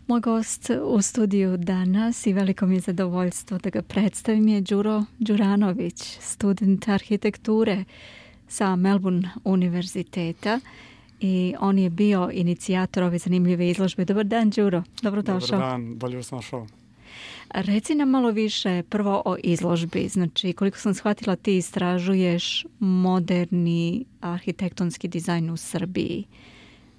Moj gost u studiju danas i veliko mi je zadovoljstvo da ga predstavim je Đuro Đuranović, student arhitekture sa Melbourne univerziteta i on je bio inicijator ove zanimljive izložbe. Dobar dan, Đuro. Dobrodošao. Dobar dan, bolje vas našao. Reci nam malo više prvo o izložbi. Znači, koliko sam shvatila, ti istražuješ moderni arhitektonski dizajn u Srbiji.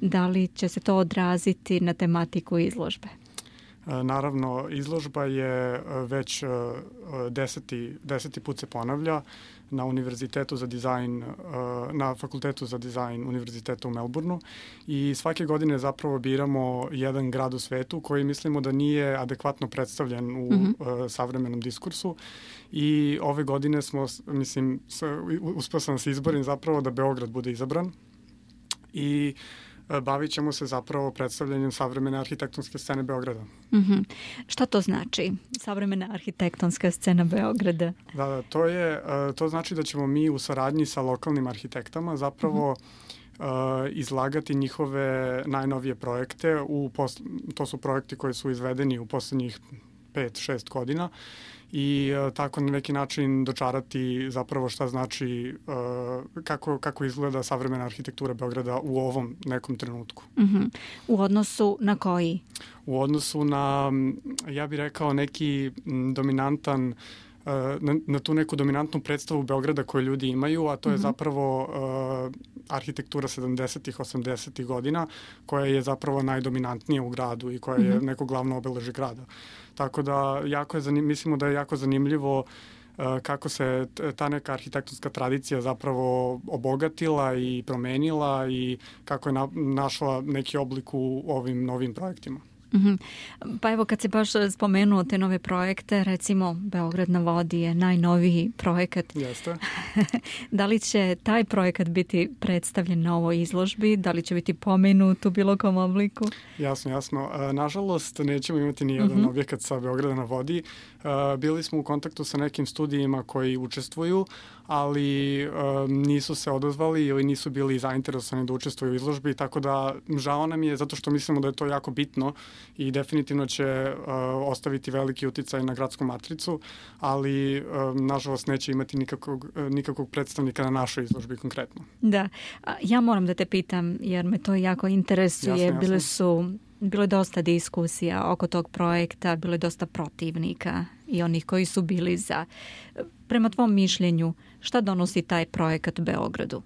Da li će se to odraziti na tematiku izložbe? Naravno, izložba je već deseti put se ponavlja na Univerzitetu za dizajn, na Fakultetu za dizajn Univerziteta u Melbourneu i svake godine zapravo biramo jedan grad u svetu koji mislimo da nije adekvatno predstavljen u savremenom diskursu i ove godine smo, uspeo sam se izborim zapravo da Beograd bude izabran i bavit ćemo se zapravo predstavljanjem savremene arhitektonske scene Beograda. Šta to znači, savremena arhitektonska scena Beograda? Da, to znači da ćemo mi u saradnji sa lokalnim arhitektama zapravo izlagati njihove najnovije projekte. To su projekti koji su izvedeni u poslednjih 5-6 godina i tako na neki način dočarati zapravo šta znači, kako izgleda savremena arhitektura Beograda u ovom nekom trenutku. U odnosu na koji? U odnosu na, ja bih rekao, neki dominantan, na tu neku dominantnu predstavu Beograda koju ljudi imaju, a to je zapravo arhitektura 70-ih, 80-ih godina, koja je zapravo najdominantnija u gradu i koja je neko glavno obeležje grada. Tako da mislimo da je jako zanimljivo kako se ta neka arhitektonska tradicija zapravo obogatila i promenila i kako je našla neki oblik u ovim novim projektima. Pa evo, kad si baš spomenuo te nove projekte, recimo Beograd na vodi je najnoviji projekat. Jeste. Da li će taj projekat biti predstavljen na ovoj izložbi? Da li će biti pomenut u bilo kom obliku? Jasno. Nažalost, nećemo imati ni jedan objekat sa Beograda na vodi. Bili smo u kontaktu sa nekim studijima koji učestvuju, ali nisu se odazvali ili nisu bili zainteresovani da učestvuju u izložbi, tako da žao nam je zato što mislimo da je to jako bitno i definitivno će ostaviti veliki uticaj na gradsku matricu, ali nažalost neće imati nikakvog predstavnika na našoj izložbi konkretno. Da, ja moram da te pitam jer me to jako interesuje. Jasno. Bilo je dosta diskusija oko tog projekta, bilo je dosta protivnika i onih koji su bili za. Prema tvom mišljenju, šta donosi taj projekat Beogradu?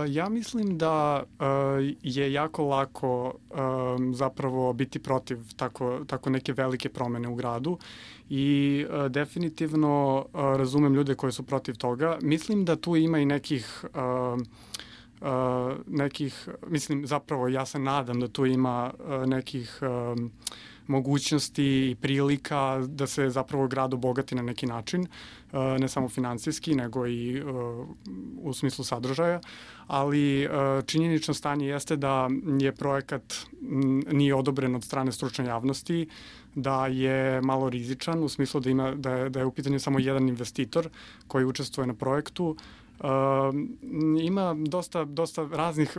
Ja mislim da je jako lako zapravo biti protiv tako neke velike promene u gradu i definitivno razumem ljude koji su protiv toga. Mislim da tu ima i mislim zapravo ja se nadam da tu ima nekih mogućnosti i prilika da se zapravo grad obogati na neki način, ne samo finansijski, nego i u smislu sadržaja, ali činjenično stanje jeste da je projekat nije odobren od strane stručne javnosti, da je malo rizičan u smislu da je u pitanju samo jedan investitor koji učestvuje na projektu. Ima dosta raznih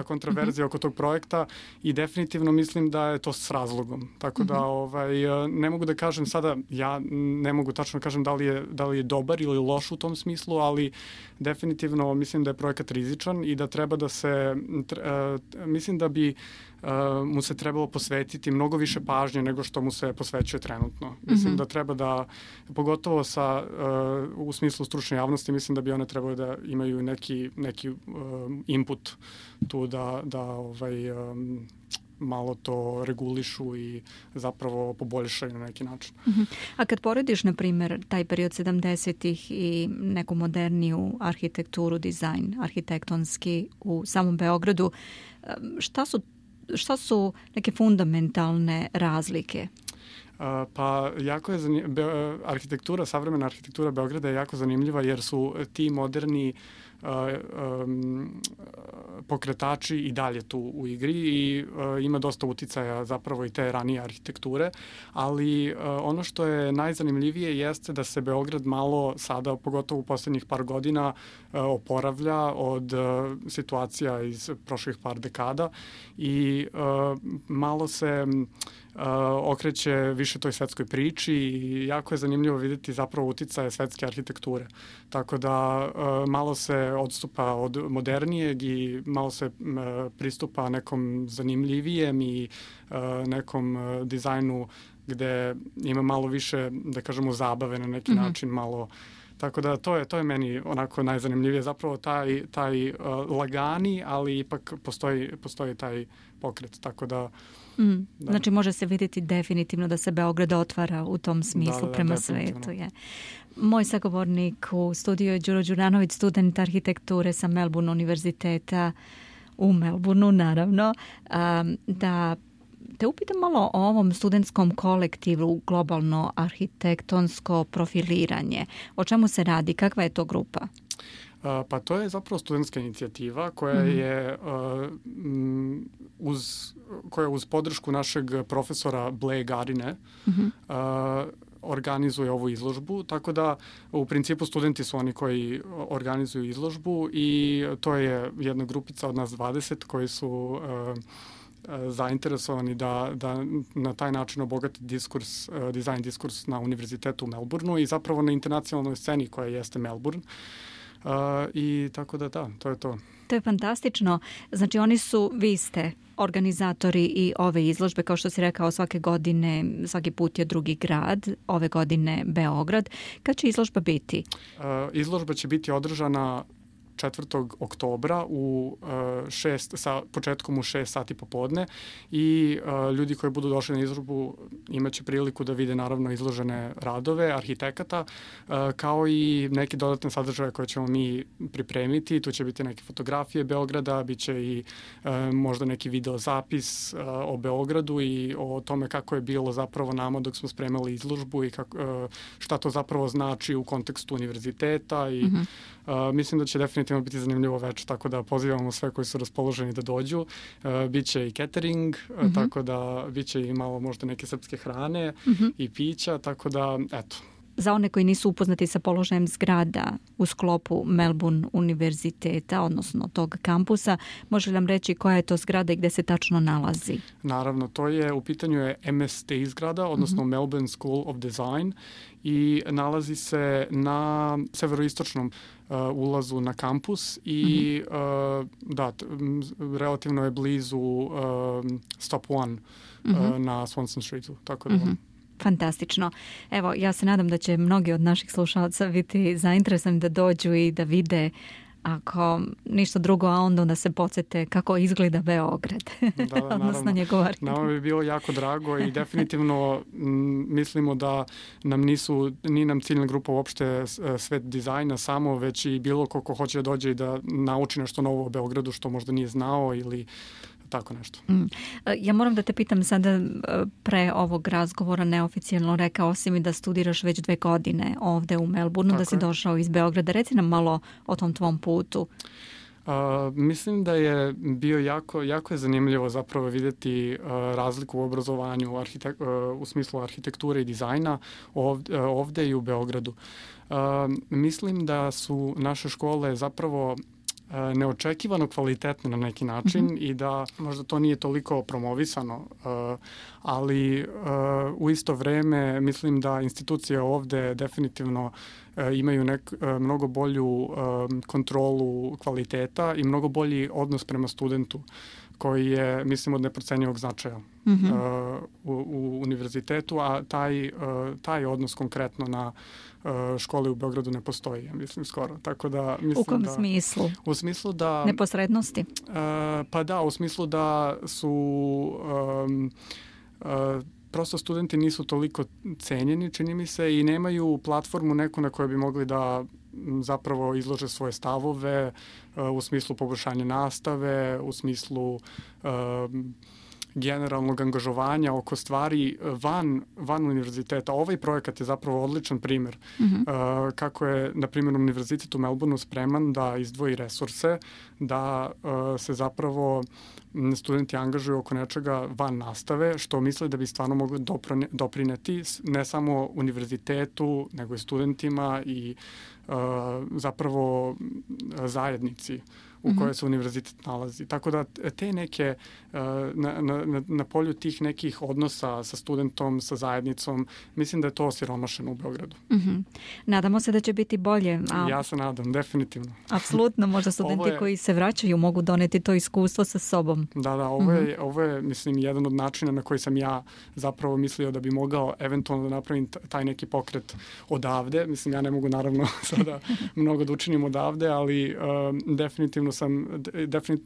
kontroverzija oko tog projekta i definitivno mislim da je to s razlogom. Tako da ne mogu da kažem sada, ja ne mogu tačno da kažem da li je dobar ili loš u tom smislu, ali definitivno mislim da je projekat rizičan i da treba da se, mislim da bi mu se trebalo posvetiti mnogo više pažnje nego što mu se posvećuje trenutno. Mislim da treba da, pogotovo u smislu stručne javnosti, mislim da bi one trebali da imaju neki input tu da malo to regulišu i zapravo poboljšaju na neki način. A kad porediš, na primjer, taj period 70-ih i neku moderniju arhitekturu, dizajn arhitektonski u samom Beogradu, šta su neke fundamentalne razlike? Pa jako je savremena arhitektura Beograda je jako zanimljiva jer su ti moderni pokretači i dalje tu u igri i ima dosta uticaja zapravo i te ranije arhitekture, ali ono što je najzanimljivije jeste da se Beograd malo sada, pogotovo u poslednjih par godina, oporavlja od situacija iz prošlih par dekada i malo se okreće više toj svetskoj priči i jako je zanimljivo videti zapravo uticaje svetske arhitekture. Tako da malo se odstupa od modernijeg i malo se pristupa nekom zanimljivijem i nekom dizajnu gde ima malo više, da kažemo, zabave na neki način, malo. Tako da to je meni onako najzanimljivije, zapravo taj lagani, ali ipak postoji taj pokret, tako da... Da. Znači može se vidjeti definitivno da se Beograd otvara u tom smislu prema svetu. Je. Moj sagovornik u studiju je Đuro Đuranović, student arhitekture sa Melbourne univerziteta u Melbourneu, naravno. Da te upitam malo o ovom studentskom kolektivu, globalno arhitektonsko profiliranje. O čemu se radi? Kakva je to grupa? Pa to je zapravo studentska inicijativa koja je uz podršku našeg profesora Blae Garine organizuje ovu izložbu, tako da u principu studenti su oni koji organizuju izložbu i to je jedna grupica od nas 20 koji su zainteresovani da na taj način obogati dizajn diskurs na univerzitetu u Melbourneu i zapravo na internacionalnoj sceni koja jeste Melbourne. I tako da to je to. To je fantastično. Znači vi ste organizatori i ove izložbe, kao što si rekao, svake godine, svaki put je drugi grad, ove godine Beograd. Kad će izložba biti? Izložba će biti održana 4. oktobra sa početkom u 6 sati popodne i ljudi koji budu došli na izložbu imaće priliku da vide naravno izložene radove arhitekata kao i neke dodatne sadržaje koje ćemo mi pripremiti. Tu će biti neke fotografije Beograda, bit će i možda neki video zapis o Beogradu i o tome kako je bilo zapravo nama dok smo spremali izložbu i šta to zapravo znači u kontekstu univerziteta i mislim da će definitivno biti zanimljivo večer, tako da pozivamo sve koji su raspoloženi da dođu. Biće i catering, tako da biće i malo možda neke srpske hrane i pića, tako da eto. Za one koji nisu upoznati sa položajem zgrada u sklopu Melbourne univerziteta, odnosno tog kampusa, može li nam reći koja je to zgrada i gde se tačno nalazi? Naravno, u pitanju je MST zgrada, odnosno Melbourne School of Design i nalazi se na severoistočnom ulazu na kampus i relativno je blizu Stop One na Swanston Streetu, tako da Fantastično. Evo, ja se nadam da će mnogi od naših slušalaca biti zainteresovani da dođu i da vide, ako ništa drugo, a onda da se podsjete kako izgleda Beograd. Odnosno njegova arhitektura. Nama bi bilo jako drago i definitivno mislimo da nije nam ciljna grupa uopšte svet dizajna samo, već i bilo ko hoće da dođe i da nauči nešto novo o Beogradu što možda nije znao ili tako nešto. Ja moram da te pitam sada, pre ovog razgovora neoficijalno rekao si mi da studiraš već 2 godine ovde u Melbourneu, da si došao iz Beograda. Reci nam malo o tom tvom putu. Mislim da je bio jako je zanimljivo zapravo vidjeti razliku u obrazovanju u smislu arhitekture i dizajna ovde i u Beogradu. Mislim da su naše škole zapravo neočekivano kvalitetne na neki način i da možda to nije toliko promovisano, ali u isto vreme mislim da institucije ovde definitivno imaju mnogo bolju kontrolu kvaliteta i mnogo bolji odnos prema studentu koji je, mislim, od neprocenjivog značaja u univerzitetu, a taj odnos konkretno na škole u Beogradu ne postoji, ja mislim, skoro. Tako da, mislim, u kom smislu? U smislu da... Neposrednosti? Pa da, u smislu da su... prosto studenti nisu toliko cenjeni, čini mi se, i nemaju platformu neku na kojoj bi mogli da zapravo izlože svoje stavove u smislu poboljšanja nastave, u smislu generalnog angažovanja oko stvari van univerziteta. Ovaj projekat je zapravo odličan primer kako je, na primjer, Univerzitet u Melbourneu spreman da izdvoji resurse, da se zapravo studenti angažuju oko nečega van nastave, što misle da bi stvarno mogli doprineti ne samo univerzitetu, nego i studentima i zapravo zajednici u kojoj se univerzitet nalazi. Tako da te neke, na polju tih nekih odnosa sa studentom, sa zajednicom, mislim da je to osiromašeno u Beogradu. Nadamo se da će biti bolje. Ja se nadam, definitivno. Apsolutno, možda studenti koji se vraćaju mogu doneti to iskustvo sa sobom. Da, ovo je, mislim, jedan od načina na koji sam ja zapravo mislio da bi mogao eventualno da napravim taj neki pokret odavde. Mislim, ja ne mogu naravno sada mnogo da učinim odavde, ali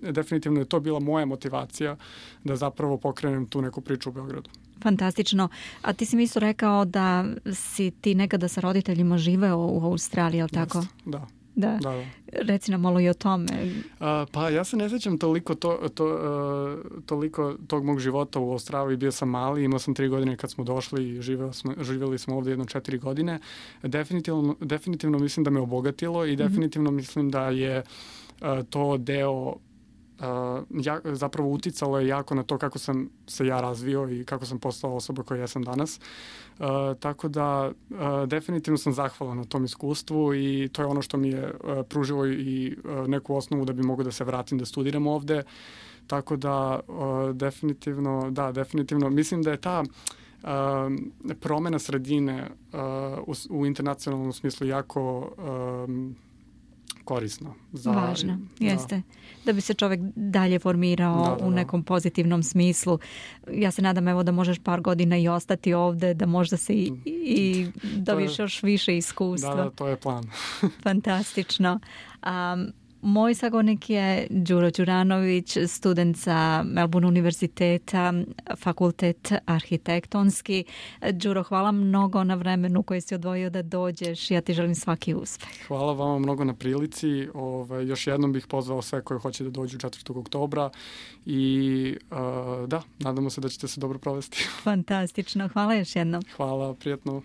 definitivno je to bila moja motivacija da zapravo pokrenem tu neku priču u Beogradu. Fantastično. A ti si mi isto rekao da si ti nekada sa roditeljima živeo u Australiji, je li tako? Da. Da. Reci nam malo i o tome. Pa ja se ne sjećam toliko tog mog života u Australiji. Bio sam mali, imao sam 3 godine kad smo došli i živjeli smo ovdje 4 godine. Definitivno mislim da me obogatilo i definitivno mislim da je to deo zapravo uticalo je jako na to kako sam se ja razvio i kako sam postao osoba koja ja sam danas. Tako da definitivno sam zahvalan na tom iskustvu i to je ono što mi je pružilo i neku osnovu da bi mogao da se vratim da studiram ovde. Tako da definitivno mislim da je ta promena sredine u internacionalnom smislu jako korisno. Važno, jeste. Da bi se čovjek dalje formirao u nekom pozitivnom smislu. Ja se nadam evo da možeš par godina i ostati ovdje, da možda se i dobiš još više iskustva. Da, to je plan. Fantastično. Moj sagovornik je Đuro Đuranović, student sa Melbourne univerziteta, fakultet arhitektonski. Đuro, hvala mnogo na vremenu koje si odvojio da dođeš. Ja ti želim svaki uspeh. Hvala vama mnogo na prilici. Još jednom bih pozvao sve koji hoće da dođu 4. oktobra i nadamo se da ćete se dobro provesti. Fantastično. Hvala još jednom. Hvala, prijatno.